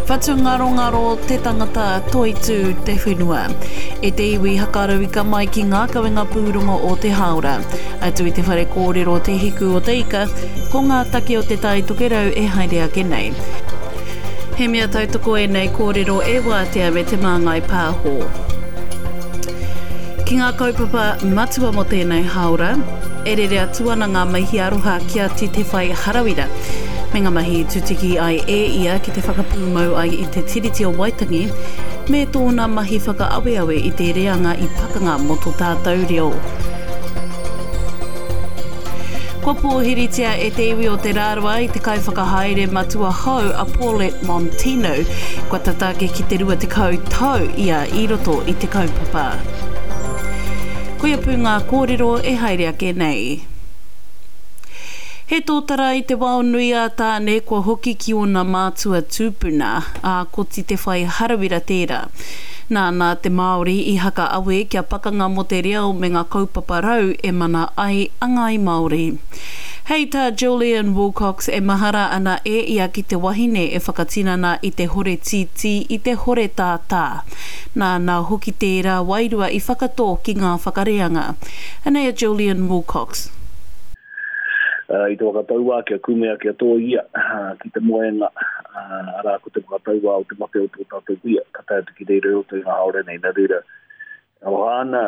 Whatungarongaro te tangata, toitū te whenua. E te iwi hakarauika mai ki ngā kawenga pūrongo o te hāora. Atu i te whare kōrero Te Hiku o te Ika, ko ngā take o Te Tai Tokerau e haere ake nei. He mea tautoko ēnei kōrero e Wātea me Te Māngai Pāho. Ki ngā kaupapa matua mō tēnei hāora, e rere atu ana ngā mihi aroha ki a Titewhai Harawira, me ngā mahi i tutuki ai e ia ki te whakapūmau ai i te Tiriti o Waitangi, me tōna mahi whakaaweawe i te reanga i pakanga mō tō tātou reo. Kua pōhiritia e te iwi o Te Rarawa i te kaiwhakahaere matua hou a Paulette Montino, kua tata ake ki te 20 tau ia i roto i te kaupapa. Koia pū ngā kōrero e haere ake nei. He tōtara i te wao nui a Tāne kua hoki ki ōna mātua tūpuna, ā, ko Titewhai Harawira tērā. Nāna te Māori i haka awe kia pakanga mō te reo me ngā kaupapa rau e mana ai a Ngāi Māori. Hei tā Julian Wilcox e mahara ana e ia ki te wahine e whakatinana i te hore tītī i te hore tātā. Nāna hoki tērā wairua i whakatō ki ngā whakareanga. Anei a Julian Wilcox. I te waka tauā kia kumea kia tōia ki te moenga, arā ko te waka tauā o te mate o tō tātou kuia, ka tae atu ki reira i roto i ngā haora nei. Nā reira, aroha ana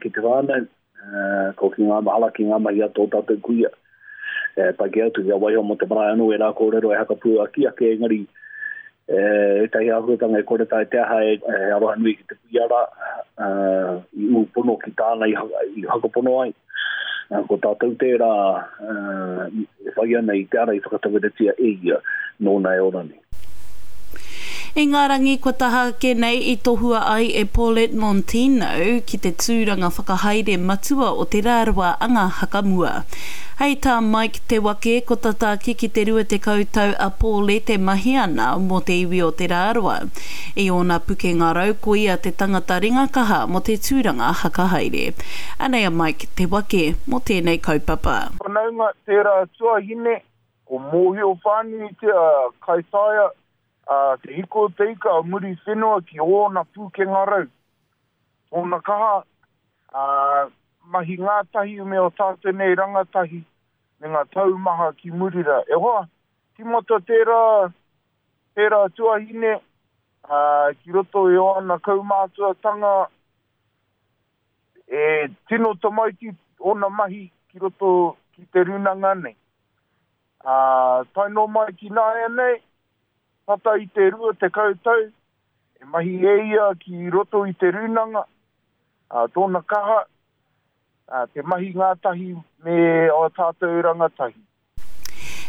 ki te whānau, ko ki ngā mahara ki ngā mahi a tō tātou kuia. E pai kē atu kia waiho mō te marae anō ērā kōrero e hakapuaki ake, engari ētahi āhuatanga e kore tae te aha e aroha nui ki te kuia rā, i ū pono ki tāna i whakapono ai. Ko tātou tērā e whai ana i te ara i whakatauiratia e ia nōna e ora nei. I ngā rangi kua taha ake nei i tohua ai e Paulette Montino ki te tūranga whakahaere matua o Te Rarawa Anga Hakamua. Hei tā Mike Te Wake, ko tata ake ki te 20 tau a Paulette e mahi ana mō te iwi o Te Rarawa. I ōna pukenga rau ko ia te tangata ringakaha mō te tūranga hakahaere. Anei a Mike Te Wake mō tēnei kaupapa. Whanaunga tērā tuahine, ko mōhio whānuitia a Kaitaia, a Te Hiko o Te Ika o Muriwhenua ki ōna pūkenga rau, tōna kaha, ā, mahi ngātahi me ō tātou nei rangatahi me ngā taumaha ki muri rā. E hoa, tīmata tērā, tērā tuahine, ā, ki roto i ōna kaumātuatanga, E tino tamaiti ōna mahi ki roto ki te rūnanga nei. Ā, tae noa mai ki nāianei, tata i te 20 tau, e mahi e ia ki roto i te rūnanga, ā, tōna kaha, ā, te mahi ngātahi me ō tātou rangatahi.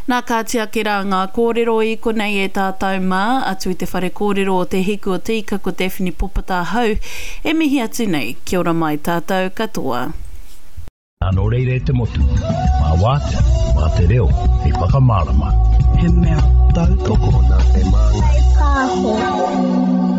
Nā kāti ake rā ngā kōrero i konei e tātou mā, atu i te whare kōrero o Te Hiku o Te Ika ko Daphne Popata ahau e mihi atu nei, kia ora mai tātou katoa. Nā nō reira e te motu, mā Wātea, mā te reo hei whakamārama. He mea tautoko nā Te Māngai Pāho.